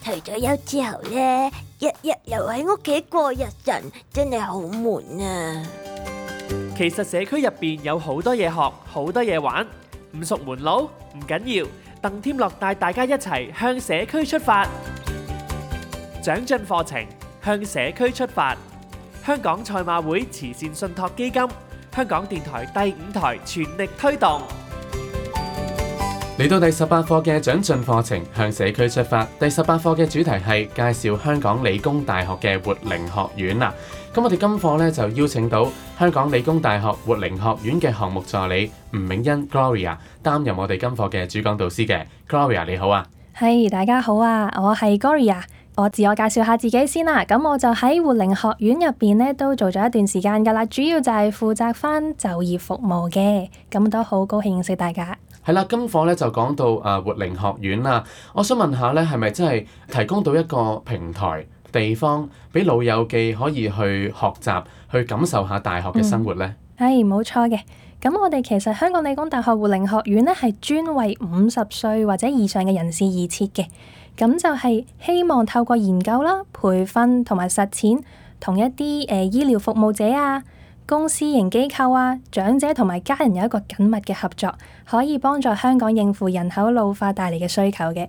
退咗休之後呢，日日留喺屋企過日晨，真係好悶啊！其實社區入邊有好多嘢學，好多嘢玩，唔熟門路唔緊要，鄧添樂帶大家一齊向社區出發，長進課程向社區出發。香港賽馬會慈善信託基金、香港電台第5台全力推動。嚟到第18課嘅長進課程向社區出發，第18課嘅主題係介紹香港理工大學嘅活齡學院啦。咁我哋今課咧就邀請到香港理工大學活齡學院嘅項目助理吳銘欣 Gloria 擔任我哋今課嘅主講導師嘅。Gloria 你好啊。係，大家好啊，我係 Gloria。我自我介紹下自己先啦，咁我就喺活齡學院入邊咧都做咗一段時間噶啦，主要就係負責翻就業服務嘅，咁都好高興認識大家。係啦，今課咧就講到活齡學院啦，我想問下咧，係咪真係提供到一個平台地方俾老友記可以去學習、去感受下大學嘅生活呢？係冇錯嘅。咁我哋其實香港理工大學活齡學院咧係專為50歲或者以上嘅人士而設嘅。咁就係希望透過研究啦、培訓同埋實踐，同一啲醫療服務者啊、公私營機構啊、長者同埋家人有一個緊密嘅合作，可以幫助香港應付人口老化帶嚟嘅需求嘅。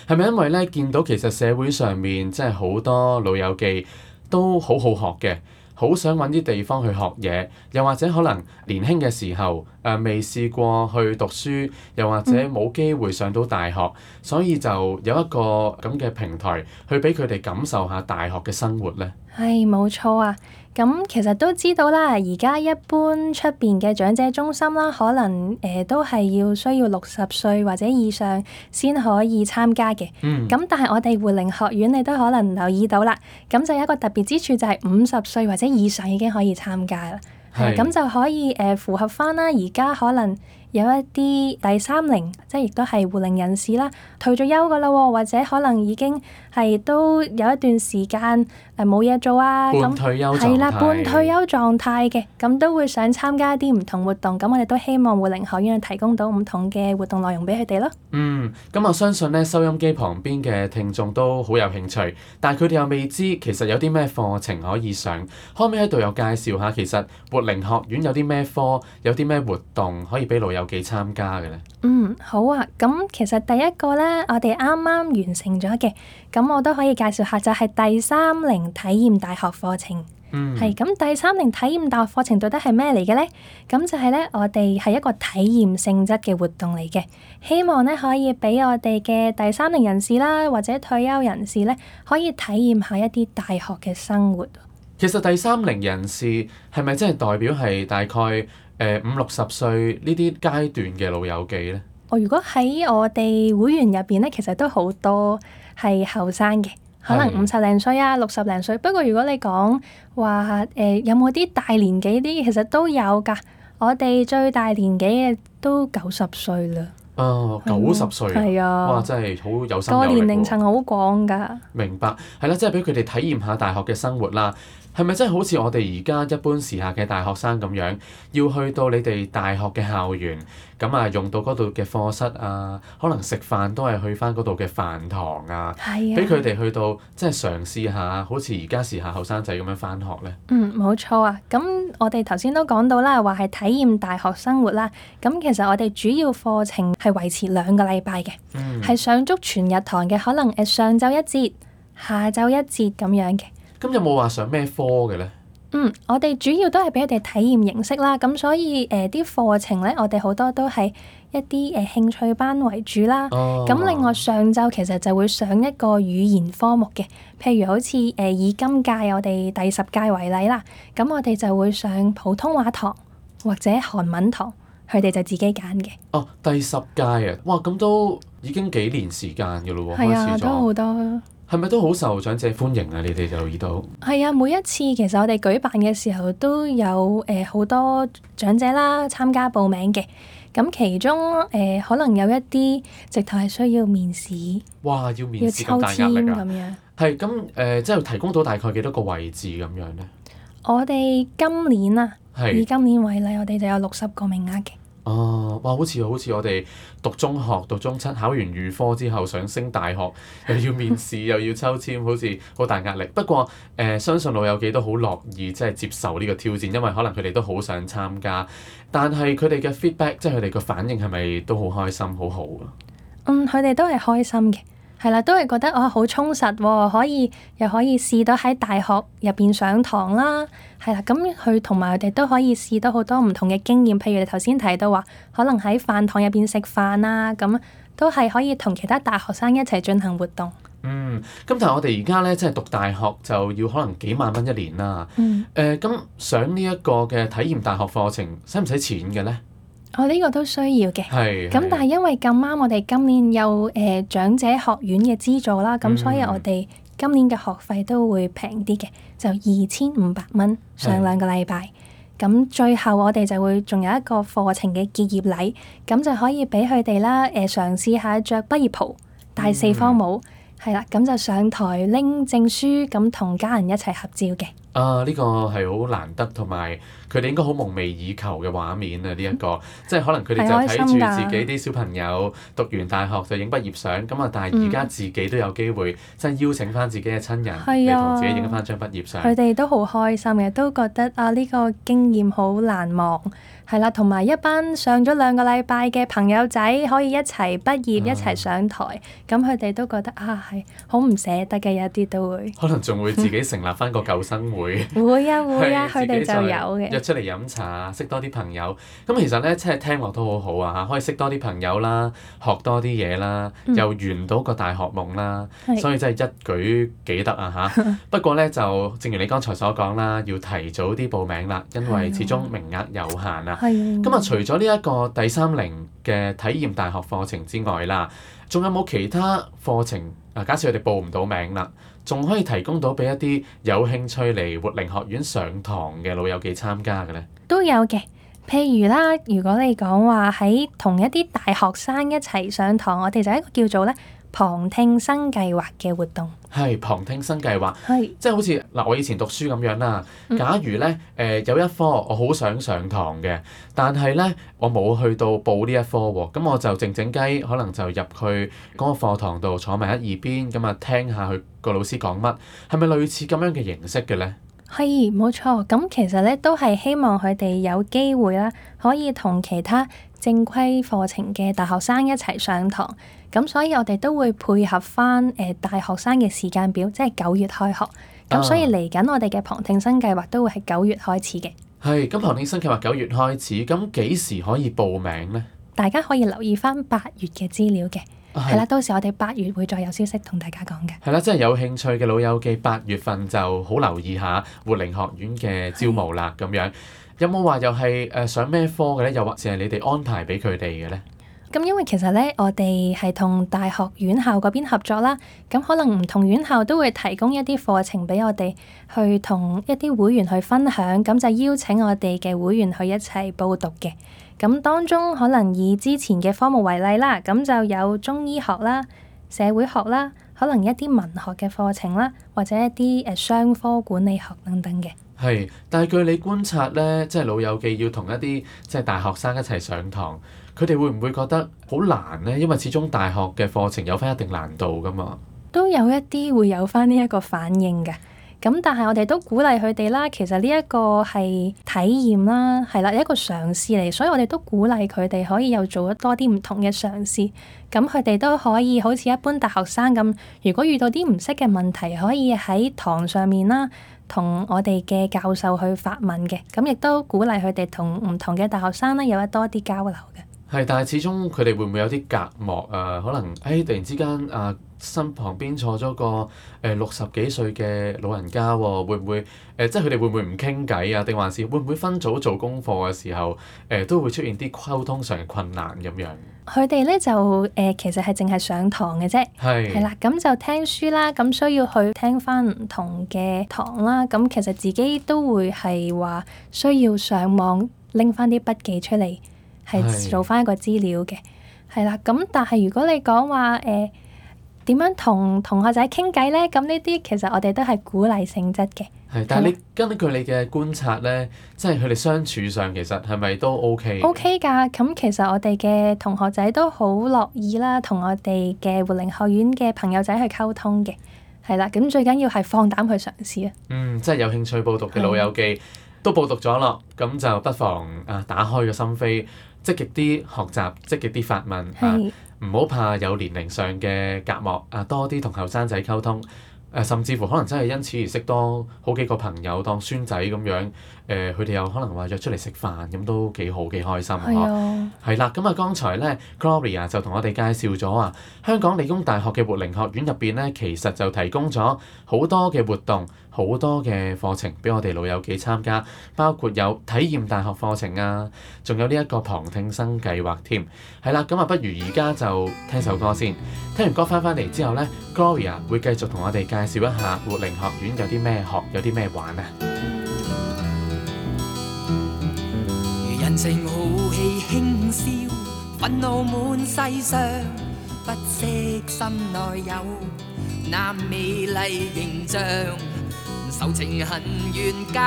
係咪因為咧見到其實社會上面即係好多老友記都好好學嘅？好想揾啲地方去學嘢，又或者可能年輕嘅時候未試過去讀書，又或者冇機會上到大學，所以就有一個咁嘅平台去俾佢哋感受下大學嘅生活呢？係冇錯啊！咁其實都知道啦，而家一般出邊嘅長者中心啦，可能都係需要60歲或者以上先可以參加嘅。咁但係我哋活齡學院你都可能留意到啦，咁就有一個特別之處就係50歲或者以上已經可以參加啦。咁就可以符合翻啦，而家可能有一啲第30，即係亦都係活齡人士啦，退咗休噶啦，或者可能已經係都有一段時間冇嘢做啊，半退休狀態，係啦，半退休狀態嘅，咁都會想參加一啲唔同活動，咁我哋都希望活齡學院提供到唔同嘅活動內容俾佢哋咯。咁我相信咧收音機旁邊嘅聽眾都好有興趣，但係佢哋又未知其實有啲咩課程可以上，可唔可以喺度又介紹下其實活齡學院有啲咩科，有啲咩活動可以俾老友記參加嘅咧？好啊，咁其實第一個咧，我哋啱啱完成咗嘅，咁我都可以介紹下，就係第30體驗大學課程。係咁，第30體驗大學課程到底係咩嚟嘅咧？咁就係咧，我哋係一個體驗性質嘅活動嚟嘅，希望咧可以俾我哋嘅第30人士啦，或者退休人士咧，可以體驗下一啲大學嘅生活。其實第30人士係咪真係代表係大概50-60歲呢啲階段嘅老友記咧？如果喺我哋會員入邊咧，其實都好多係後生嘅。可能50零歲啊，60零歲。不過如果你講話有冇啲大年紀啲，其實都有㗎。我哋最大年紀嘅都90歲啦。90歲係啊，哇，真係好有心有力喎。個年齡層好廣㗎。明白，係啦，即係俾佢哋體驗下大學嘅生活啦。係咪真係好似我哋而家一般時下嘅大學生咁樣，要去到你哋大學嘅校園，咁啊用到嗰度嘅課室啊，可能食飯都係去翻嗰度嘅飯堂啊，俾佢哋去到即係嘗試下，好似而家時下後生仔咁樣翻學呢？冇錯啊。咁我哋頭先都講到啦，話係體驗大學生活啦。咁其實我哋主要課程係維持2個禮拜嘅，係上足全日堂嘅，可能上晝一節，下晝一節咁樣嘅。咁有冇話上咩科嘅咧？我哋主要都係俾佢哋體驗形式啦，咁所以啲課程咧，我哋好多都係一啲興趣班為主啦。咁另外上晝其實就會上一個語言科目嘅，譬如好似以今屆我哋第10屆為例啦，咁我哋就會上普通話堂或者韓文堂，佢哋就自己揀嘅。第10屆啊，哇，咁都已經幾年時間㗎咯喎，係啊，開始咗。都好多。係咪都好受長者歡迎啊？你哋就留意到？係啊，每一次其實我哋舉辦嘅時候都有好多長者啦參加報名嘅。咁其中可能有一啲直頭係需要面試。哇！要面試咁大壓力啊！要抽籤咁樣。係咁即係提供到大概幾多個位置咁樣咧？我哋今年啊，以今年為例，我哋就有60個名額嘅。哦，哇！好似我哋讀中學、讀中七，考完預科之後想升大學，又要面試，又要抽籤，好似好大壓力。不過相信老友記都好樂意即係接受呢個挑戰，因為可能佢哋都好想參加。但係佢哋嘅 feedback，即係佢哋個反應係咪都好開心、好好啊？佢哋都係開心嘅。係啦，都係覺得好充實喎，又可以試到喺大學入邊上堂啦。係啦，咁佢同埋佢哋都可以試到好多唔同嘅經驗，譬如你頭先提到話，可能喺飯堂入邊食飯啊，咁都係可以同其他大學生一齊進行活動。咁但係我哋而家咧，即係讀大學就要可能幾萬蚊一年啦。咁上呢一個嘅體驗大學課程，使唔使錢嘅咧？呢個都需要嘅。咁但係因為咁啱，我哋今年有長者學院嘅資助啦，咁所以我哋今年嘅學費都會平啲嘅，就2500蚊上2個禮拜。咁最後我哋就會仲有一個課程嘅結業禮，咁就可以俾佢哋啦嘗試下着畢業袍、戴四方帽，係啦，咁就上台拎證書，咁同家人一齊合照嘅。呢個係好難得，同埋佢哋應該好夢寐以求嘅畫面啊！呢一個即係可能佢哋就睇住自己啲小朋友讀完大學就影畢業相咁啊，但係而家自己都有機會即係邀請翻自己嘅親人嚟同自己影翻張畢業相。佢哋都好開心嘅，都覺得呢個經驗好難忘。係啦，同埋一班上咗2個禮拜嘅朋友仔可以一齊畢業，一齊上台，咁佢哋都覺得係好唔捨得嘅，有啲都會。可能仲會自己成立翻個舊生會。會啊，佢哋就有嘅。約出嚟飲茶，識多啲朋友。咁其實咧，即係聽落都好好啊嚇，可以識多啲朋友啦，學多啲嘢啦，又圓到個大學夢啦。所以真係一舉幾得啊嚇！不過咧，就正如你剛才所講啦，要提早啲報名啦，因為始終名額有限啊。咁啊，除咗呢一個第30嘅體驗大學課程之外啦，仲有冇其他課程啊？假設佢哋報唔到名啦，仲可以提供到俾一啲有興趣嚟活齡學院上堂嘅老友記參加嘅咧？都有嘅，譬如啦，如果你講話喺同一啲大學生一齊上堂，我哋就一個叫做咧旁聽生計劃嘅活動。係旁聽生計劃，係即係好似我以前讀書咁樣啦。假如咧有一科我好想上堂嘅，但係咧我冇去到報呢一科喎，咁我就靜靜雞可能就入去嗰個課堂度坐埋喺一邊，咁啊聽下佢個老師講乜，係咪類似咁樣嘅形式嘅咧？係冇錯，咁其實咧都係希望佢哋有機會啦，可以同其他正規課程嘅大學生一齊上堂。咁所以我哋都會配合翻大學生嘅時間表，即係9月開學。咁所以嚟緊我哋嘅旁聽生計劃都會係9月開始嘅。係，咁旁聽生計劃9月開始，咁幾時可以報名呢？大家可以留意翻8月嘅資料嘅。係啦，到時我哋8月會再有消息同大家講嘅。係啦，即係有興趣嘅老友記8月份就好留意下活齡學院嘅招募啦。咁樣有冇話又係上咩科嘅咧？又或者係你哋安排俾佢哋嘅咧？咁因為其實咧，我哋係同大學院校嗰邊合作啦，咁可能唔同院校都會提供一啲課程俾我哋去同一啲會員去分享，咁就邀請我哋嘅會員去一齊報讀嘅。咁當中可能以之前嘅科目為例啦，咁就有中醫學啦、社會學啦，可能一啲文學嘅課程啦，或者一啲商科管理學等等嘅。係，但係據你觀察咧，即係老友記要同一啲即係大學生一齊上堂，佢哋會唔會覺得好難咧？因為始終大學嘅課程有返一定難度㗎嘛。都有一啲會有返呢一個反應嘅。咁但係我哋都鼓勵佢哋啦，其實呢一個係體驗啦，係啦，一個嘗試嚟，所以我哋都鼓勵佢哋可以又做多啲唔同嘅嘗試。咁佢哋都可以好似一般大學生咁，如果遇到啲唔識嘅問題，可以喺堂上面啦，同我哋嘅教授去發問嘅。咁亦都鼓勵佢哋同唔同嘅大學生咧有多啲交流嘅。係，但係始終佢哋會唔會有啲隔膜啊？可能突然之間身旁邊坐咗個60幾歲嘅老人家喎，會唔會即係佢哋會唔會唔傾偈啊？定還是會唔會分組做功課嘅時候都會出現啲溝通上嘅困難咁樣？佢哋咧就其實係淨係上堂嘅啫，係啦，咁就聽書啦，咁需要去聽翻唔同嘅堂啦，咁其實自己都會係話需要上網拎翻啲筆記出嚟，係做翻一個資料嘅，係啦，咁但係如果你講話點樣同同學仔傾偈咧？咁呢啲其實我哋都係鼓勵性質嘅。係，但係你根據你嘅觀察咧，即係佢哋相處上其實係咪都 OK？ OK 㗎，咁其實我哋嘅同學仔都好樂意啦，同我哋嘅活齡學院嘅朋友仔去溝通嘅，係啦。咁最緊要係放膽去嘗試啊！即係有興趣報讀嘅老友記都報讀咗咯，咁就不妨打開個心扉，積極啲學習，積極啲發問，唔好怕有年齡上嘅隔膜，多啲同後生仔溝通。甚至乎可能真係因此而識多好幾個朋友當孫仔咁樣，佢哋又可能話約出嚟食飯，咁都幾好幾開心嗬。係啦，咁剛才咧 Gloria 就同我哋介紹咗香港理工大學嘅活齡學院入邊咧，其實就提供咗好多嘅活動，好多嘅課程俾我哋老友記參加，包括有體驗大學課程仲有呢一個旁聽生計劃添。係啦，咁不如而家就聽首歌先，聽完歌翻嚟之後咧 Gloria 會繼續同我哋介紹一下活齡學院有啲咩學，有啲咩玩啊！人情豪氣輕笑，憤怒滿世上，不惜心內有那美麗形象，仇情恨怨皆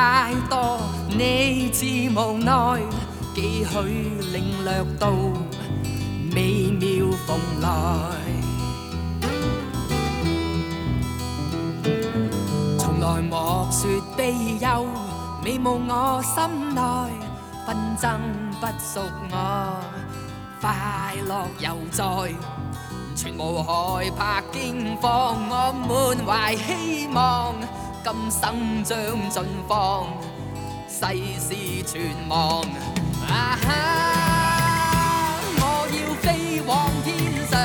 多，你自無奈，幾許領略到美妙蓬萊。從來莫說悲憂，美夢我心內，紛爭不屬我，快樂猶在，全無害怕驚慌，我滿懷希望，今生將盡放，世事全忘。我要飛往天上。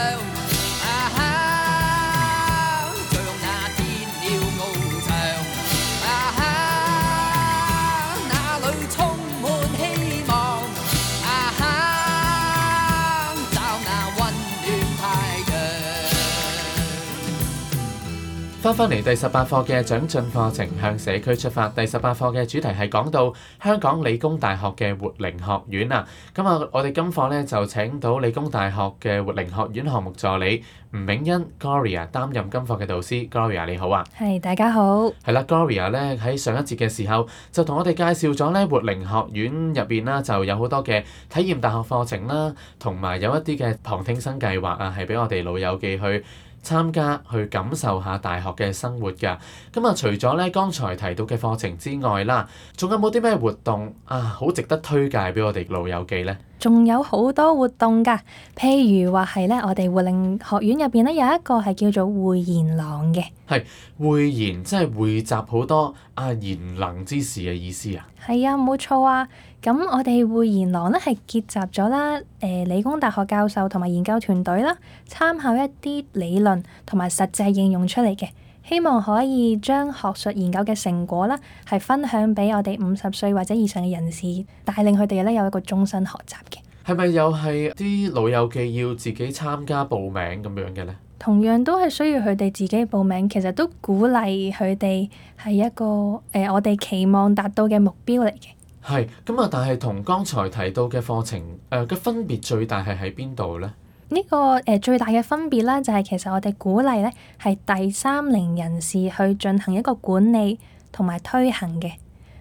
翻嚟第18課嘅長進課程向社區出發，第18課嘅主題係講到香港理工大學嘅活齡學院啊。咁我哋今課咧就請到理工大學嘅活齡學院項目助理吳銘欣 Gloria 擔任今課嘅導師。Gloria 你好啊。係，大家好。係啦 Gloria 咧喺上一節嘅時候就同我哋介紹咗咧活齡學院入邊啦，就有好多嘅體驗大學課程啦，同埋有一啲嘅旁聽生計劃係俾我哋老友記去參加去感受下大學嘅生活㗎。咁除咗咧剛才提到嘅課程之外啦，仲有冇啲咩活動好值得推介俾我哋老友記呢？仲有好多活動㗎，譬如話係咧，我哋活齡學院入邊咧有一個係叫做匯賢廊嘅。係匯賢，即係匯集好多賢能之士嘅意思啊？係啊，冇錯啊。咁我哋匯賢廊咧係結集咗啦，理工大學教授同埋研究團隊啦，參考一啲理論同埋實際應用出嚟嘅，希望可以將學術研究嘅成果啦，係分享俾我哋50歲或者以上嘅人士，帶領佢哋咧有一個終身學習嘅。係咪又係啲老友記要自己參加報名咁樣嘅咧？同樣都係需要佢哋自己報名，其實都鼓勵佢哋係一個我哋期望達到嘅目標嚟嘅。係咁但係同剛才提到嘅課程嘅分別最大係喺邊度咧？呢個最大嘅分別咧，就係其實我哋鼓勵咧係第30人士去進行一個管理同埋推行嘅，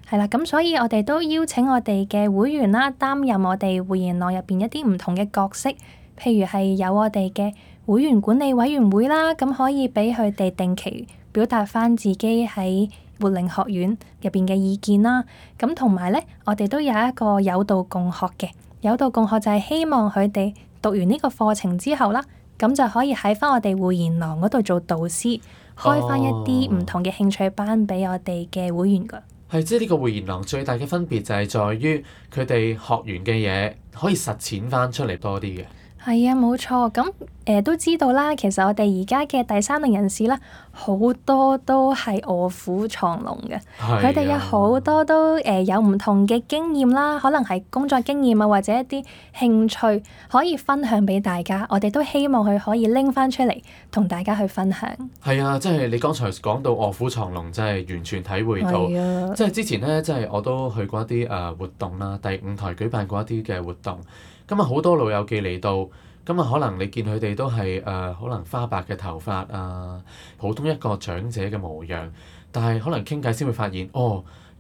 係啦。咁所以我哋都邀請我哋嘅會員啦，擔任我哋匯賢廊入邊一啲唔同嘅角色，譬如係有我哋嘅會員管理委員會啦，咁可以俾佢哋定期表達返自己喺活齡學院入邊嘅意見啦。咁同埋咧，我哋都有一個有道共學嘅，有道共學就係希望佢哋讀完呢個課程之後啦，咁就可以喺翻我哋匯賢廊嗰度做導師，開翻一啲唔同嘅興趣班俾我哋嘅會員㗎。係，即係呢個匯賢廊最大嘅分別就係在於佢哋學完嘅嘢可以實踐翻出嚟多啲嘅。係啊，冇錯。咁都知道啦，其實我哋而家嘅第30人士啦，好多都係臥虎藏龍嘅。佢哋有好多都有唔同嘅經驗啦，可能係工作經驗或者一啲興趣可以分享俾大家。我哋都希望佢可以拎翻出嚟同大家去分享。係啊，即係你剛才講到臥虎藏龍，真係完全體會到。即係之前咧，即係我都去過一啲活動啦，第5台舉辦過一啲嘅活動。咁好多老友記嚟到，咁啊可能你見佢哋都係可能花白嘅頭髮啊，普通一個長者嘅模樣，但係可能傾偈先會發現，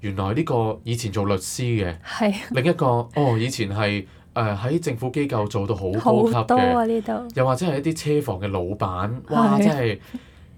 原來呢個以前做律師嘅，係另一個以前係喺政府機構做到好高級好多啊嘅，呢度。又或者係一啲車房嘅老闆，哇！係真係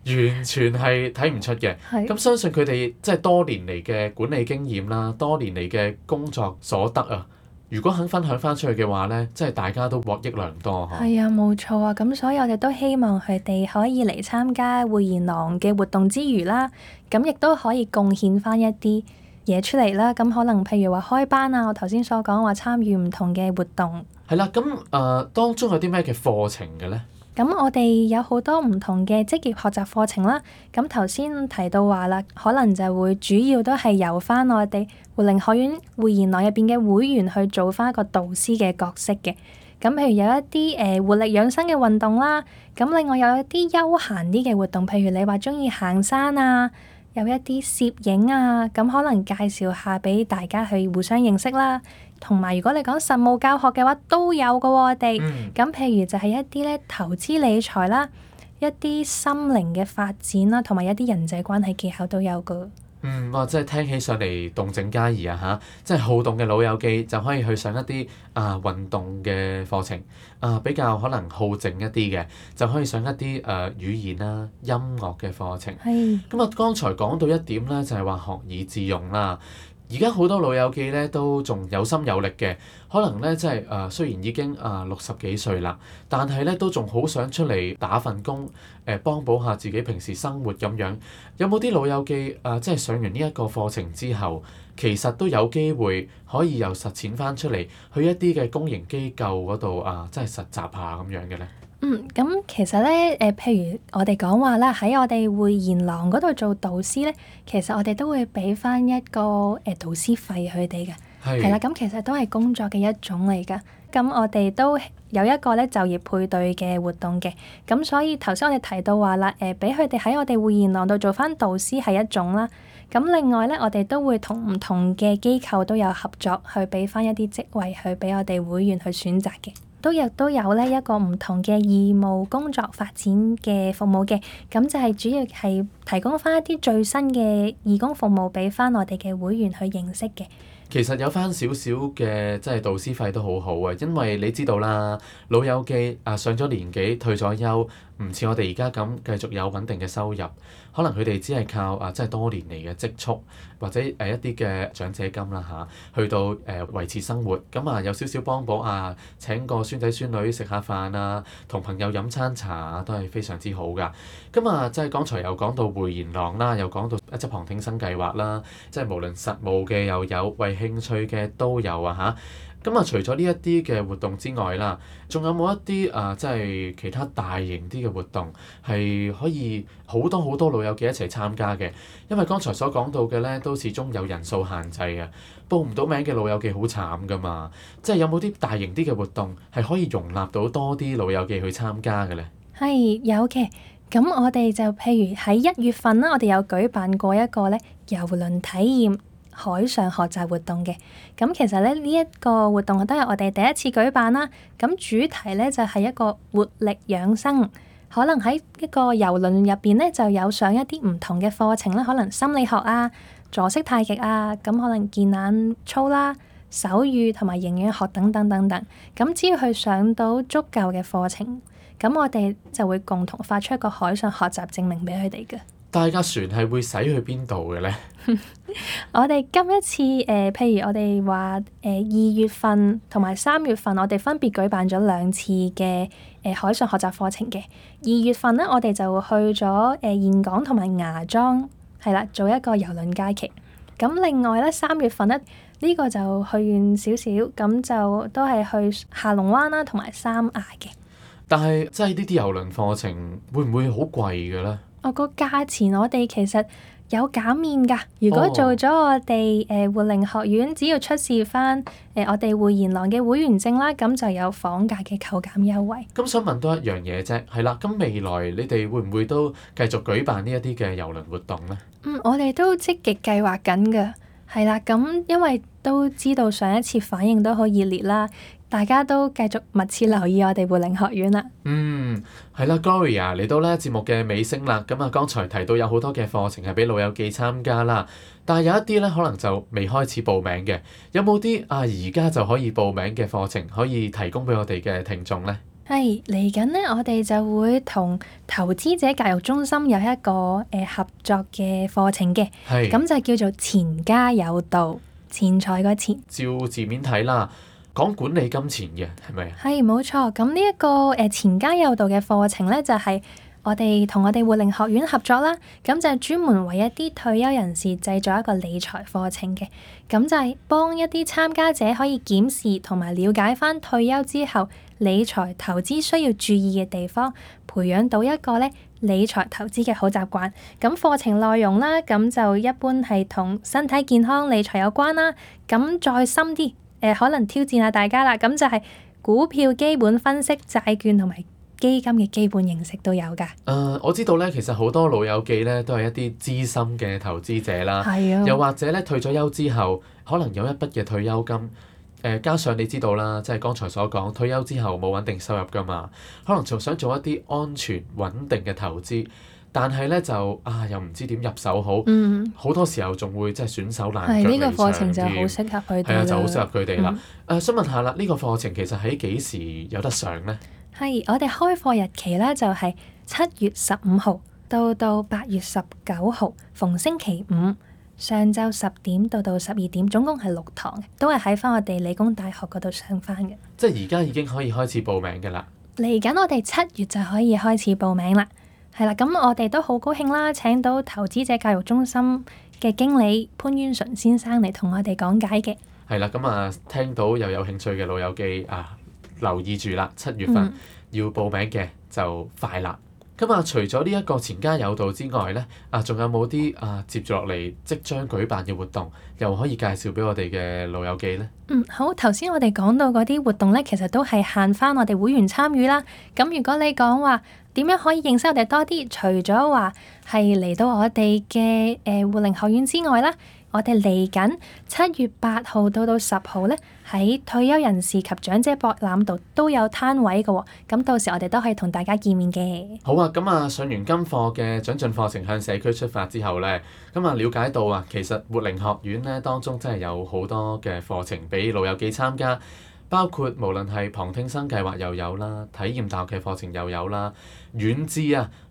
完全係睇唔出嘅。係咁相信佢哋即係多年嚟嘅管理經驗啦，多年嚟嘅工作所得啊，如果肯分享翻出去嘅話咧，即係大家都獲益良多嗬。係啊，冇錯啊。咁所以我哋都希望佢哋可以嚟參加匯賢廊嘅活動之餘啦，咁亦都可以貢獻翻一啲嘢出嚟啦。咁可能譬如話開班啊，我頭先所講話參與唔同嘅活動。係啦，咁當中有啲咩嘅課程嘅咧？咁我哋有好多唔同嘅職業學習課程啦。咁頭先提到話啦，可能就會主要都係由翻我哋活齡學院匯賢廊入邊嘅會員去做翻一個導師嘅角色嘅。咁譬如有一啲活力養生嘅運動啦，咁另外有一啲休閒啲嘅活動，譬如你話鍾意行山啊，有一啲攝影啊，咁可能介紹下俾大家去互相認識啦。同埋如果你講實務教學嘅話，都有㗎喎我哋。咁譬如就係一啲咧投資理財啦，一啲心靈嘅發展啦，同埋一啲人際關係技巧都有㗎。即係聽起上嚟動靜皆宜啊嚇！即係好動嘅老友記就可以去上一啲運動嘅課程，比較可能好靜一啲嘅就可以上一啲語言啦、音樂嘅課程。係。咁啊，剛才講到一點咧，就係話學以致用啦。而家好多老友記咧都仲有心有力嘅，可能咧即係雖然已經60幾歲啦，但係咧都仲好想出嚟打份工，幫補下自己平時生活咁樣。有冇啲老友記即係上完呢一個課程之後，其實都有機會可以又實踐翻出嚟，去一啲嘅公營機構嗰度即係實習下咁樣嘅咧？咁其實咧，譬如我哋講話啦，喺我哋匯賢廊嗰度做導師咧，其實我哋都會俾翻一個導師費佢哋嘅，係啦。咁其實都係工作嘅一種嚟㗎。咁我哋都有一個咧就業配對嘅活動嘅。咁所以頭先我哋提到話啦，俾佢哋喺我哋匯賢廊度做翻導師係一種啦。咁另外咧，我哋都會同唔同嘅機構都有合作，去俾翻一啲職位去俾我哋會員去選擇嘅。亦都有咧一個唔同嘅義務工作發展嘅服務嘅，咁就係主要係提供翻一啲最新嘅義工服務俾翻我哋嘅會員去認識嘅。其實有翻少少嘅即係導師費都好好啊，因為你知道啦，老友記上咗年紀退咗休，唔似我哋而家咁繼續有穩定嘅收入，可能佢哋只係靠即係多年嚟嘅積蓄或者一啲嘅長者金啦去到維持生活。咁有少少幫補請個孫仔孫女食下飯啊，同朋友飲餐茶都係非常之好噶。咁即係剛才又講到匯賢廊啦，又講到一則旁聽生計劃啦，即係無論實務嘅又有，為興趣嘅都有啊嚇。咁除咗呢一啲嘅活動之外啦，仲有冇一啲即係其他大型啲嘅活動係可以好多好多老友記一齊參加嘅？因為剛才所講到嘅咧，都始終有人數限制啊，報唔到名嘅老友記好慘噶嘛。即係有冇啲大型啲嘅活動係可以容納到多啲老友記去參加嘅咧？係有嘅。咁我哋就譬如喺1月份啦，我哋有舉辦過一個咧郵輪體驗海上學習活動嘅。咁其實咧呢一個活動都係我哋第一次舉辦啦。咁主題咧就係一個活力養生，可能喺一個郵輪入邊咧就有上一啲唔同嘅課程啦，可能心理學啊、坐式太極啊，咁可能健眼操啦、手語同埋營養學等等等等。咁只要去上到足夠嘅課程，咁我哋就會共同發出一個海上學習證明俾佢哋嘅。但係架船係會駛去邊度嘅咧？我哋今一次譬如我哋話2月份同埋3月份，我哋分別舉辦咗2次嘅海上學習課程嘅。2月份咧，我哋就去咗峴港同埋芽莊，係啦，做一個郵輪假期。咁另外咧，3月份咧呢個就去遠少少，咁就都係去下龍灣啦，同埋三亞嘅。但係即係呢啲郵輪課程會唔會好貴嘅咧？個價錢我哋其實有減免㗎。如果做咗我哋活齡學院，只要出示翻我哋匯賢廊嘅會員證啦，咁就有房價嘅扣減優惠。咁想問多一樣嘢啫，係啦，咁未來你哋會唔會都繼續舉辦呢一啲嘅郵輪活動咧？我哋都積極計劃緊㗎，係啦。咁因為都知道上一次反應都好熱烈啦，大家都繼續密切留意我哋活齡學院啦。係啦，Gloria 嚟到咧節目嘅尾聲啦。咁啊，剛才提到有好多嘅課程係俾老友記參加啦，但係有一啲咧可能就未開始報名嘅。有冇啲而家就可以報名嘅課程可以提供俾我哋嘅聽眾呢？係嚟緊呢，我哋就會同投資者教育中心有一個合作嘅課程嘅，係咁就叫做錢家有道，錢財個錢。照字面睇啦，講管理金錢嘅係咪啊？係冇錯，咁呢一個錢家有道嘅課程呢，就係我哋同我哋活齡學院合作啦，咁就係專門為一啲退休人士製作一個理財課程嘅，咁就係幫一啲參加者可以檢視同埋了解返退休之後理財投資需要注意嘅地方，培養到一個咧理財投資嘅好習慣。咁課程內容啦，咁就一般係同身體健康理財有關啦。咁再深啲，可能挑戰下大家啦。咁就係股票基本分析、債券同埋基金嘅基本認識都有㗎。我知道咧，其實好多老友記咧都係一啲資深嘅投資者啦，係啊，又或者咧退咗休之後，可能有一筆嘅退休金。加上你知道啦，即係剛才所講，退休之後冇穩定收入㗎嘛，可能就想做一啲安全穩定嘅投資，但係咧就又唔知點入手好，好多時候仲會即係損手爛腳離場添。呢個課程就好適合佢哋啦。係啊，就好適合佢哋啦。想問下啦，呢個課程其實喺幾時有得上呢？係我哋開課日期咧，就係7月15號到8月19號，逢星期五。上晝10點到12點，總共係6堂，都係喺返我哋理工大學嗰度上返嘅。即係而家已經可以開始報名㗎啦。嚟緊我哋7月就可以開始報名啦。係啦，咁我哋都好高興啦，請到投資者教育中心嘅經理潘淵純先生嚟同我哋講解嘅。係啦，咁聽到又有興趣嘅老友記留意住啦，7月份要報名嘅就快啦。咁除咗呢一個錢家有道之外咧，仲有冇啲接住落嚟即將舉辦嘅活動，又可以介紹俾我哋嘅老友記咧？好，頭先我哋講到嗰啲活動咧，其實都係限翻我哋會員參與啦。咁如果你講話點樣可以認識我哋多啲，除咗話係嚟到我哋嘅活齡學院之外啦，我哋嚟緊7月8號到10號咧，喺退休人士及長者博覽度都有攤位嘅喎。咁到時我哋都可以同大家見面嘅。好啊，咁上完今課嘅長進課程向社區出發之後咧，咁了解到其實活齡學院咧當中真係有好多嘅課程俾老友記參加。包括無論係旁聽生計劃又有啦，體驗大學嘅課程又有啦，遠至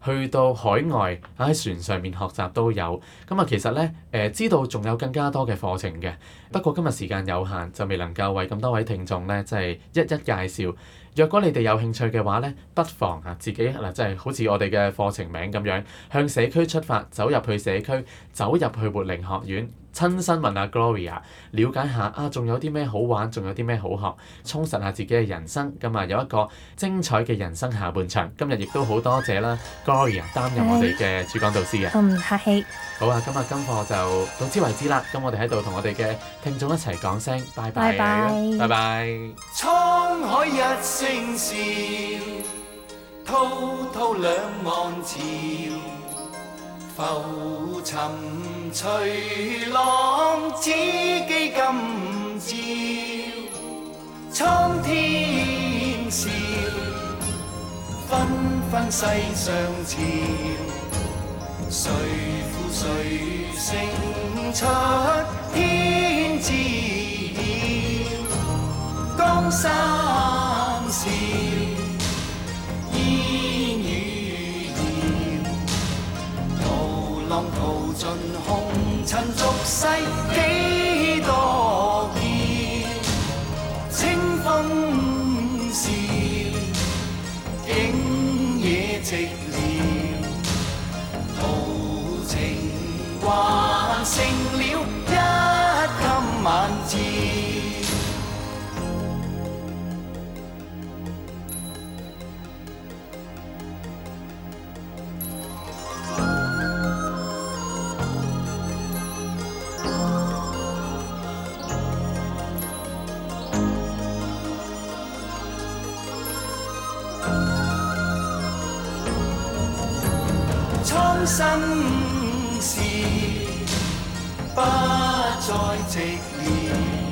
去到海外喺船上面學習都有。咁其實咧知道仲有更加多嘅課程嘅，不過今日時間有限，就未能夠為咁多位聽眾咧即係一一介紹。若果你哋有興趣嘅話咧，不妨自己即係好似我哋嘅課程名咁樣，向社區出發，走入去社區，走入去活齡學院。親身問下 Gloria， 了解下仲有啲咩好玩，仲有啲咩好學，充實下自己嘅人生。有一個精彩嘅人生下半場。今日亦都好多謝啦 Gloria 擔任我哋嘅主講導師嘅。唔客氣。好啊，今日今課就到此為止啦。咁我哋喺度同我哋嘅聽眾一齊講聲拜拜。拜拜。拜拜。滄海一聲笑，滔滔兩岸潮。浮沉隨浪，只記今朝。蒼天笑，紛紛世上潮。誰負誰勝出天知曉。江山笑，煙雨遙。浪淘盡紅塵俗世幾多嬌。清風笑，景野寂寥。豪情還剩了一襟晚照。蒼生事，不再寂寥。